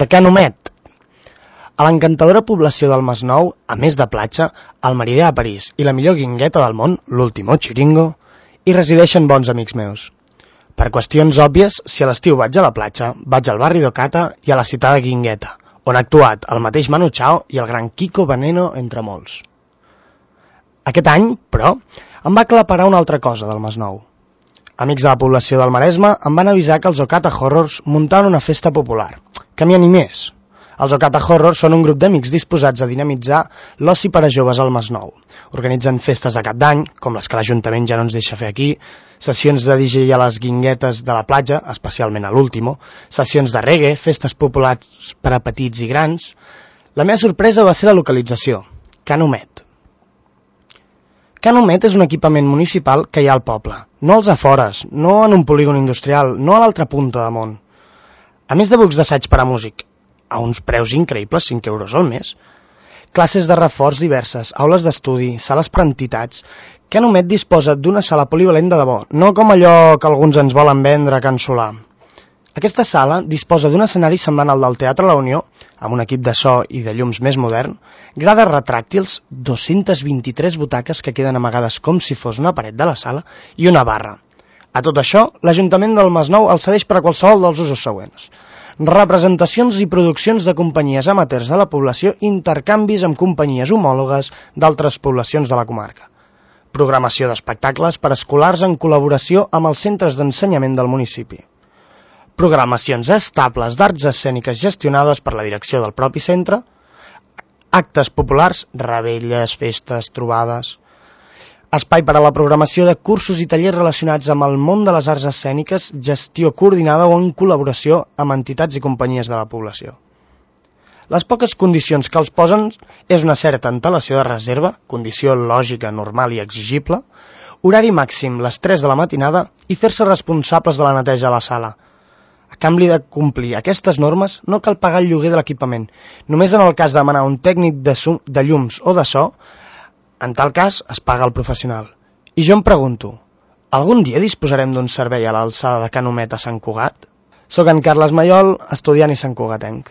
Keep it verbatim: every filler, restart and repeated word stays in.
Per què Nomet? A l'encantadora població del Masnou, a més de platja, el meridià a París i la millor guingueta del món, l'último chiringo, hi resideixen bons amics meus. Per qüestions òbvies, si a l'estiu vaig a la platja, vaig al barri d'Ocata i a la citada Guingueta, on ha actuat el mateix Manu Chao i el gran Kiko Veneno, entre molts. Aquest any, però, em va aclaparar una altra cosa del Masnou. Amics de la població del Maresme em van avisar que els Ocata Horrors muntaven una festa popular, que m'hi animés. Els Ocata Horrors són un grup d'amics disposats a dinamitzar l'oci per a joves al Masnou. Organitzen festes de cap d'any, com les que l'Ajuntament ja no ens deixa fer aquí, sessions de D J a les guinguetes de la platja, especialment a l'último, sessions de reggae, festes populars per a petits i grans. La meva sorpresa va ser la localització, Can Homet. Can Homet és un equipament municipal que hi ha al poble, no als afores, no en un polígon industrial, no a l'altra punta de món. A més de bucs d'assaig per a músic, a uns preus increïbles, cinc euros al mes, classes de reforç diverses, aules d'estudi, sales per entitats. Can Homet disposa d'una sala polivalent de debò, no com allò que alguns ens volen vendre a Can Solà. Aquesta sala disposa d'un escenari semblant al del Teatre La Unió, amb un equip de so i de llums més modern, grades retràctils, dues-centes vint-i-tres butaques que queden amagades com si fos una paret de la sala i una barra. A tot això, l'Ajuntament del Masnou el cedeix per a qualsevol dels usos següents. Representacions i produccions de companyies amateurs de la població, intercanvis amb companyies homòlogues d'altres poblacions de la comarca. Programació d'espectacles per escolars en col·laboració amb els centres d'ensenyament del municipi. Programacions estables d'arts escèniques gestionades per la direcció del propi centre, actes populars, revetlles, festes, trobades, espai per a la programació de cursos i tallers relacionats amb el món de les arts escèniques, gestió coordinada o en col·laboració amb entitats i companyies de la població. Les poques condicions que els posen és una certa antelació de reserva, condició lògica, normal i exigible, horari màxim les tres de la matinada i fer-se responsables de la neteja a la sala. A canvi de complir aquestes normes, no cal pagar el lloguer de l'equipament. Només en el cas de demanar un tècnic de, de llums o de so, en tal cas es paga el professional. I jo em pregunto, algun dia disposarem d'un servei a l'alçada de Can Homet a Sant Cugat? Soc en Carles Maiol, estudiant i santcugatenc.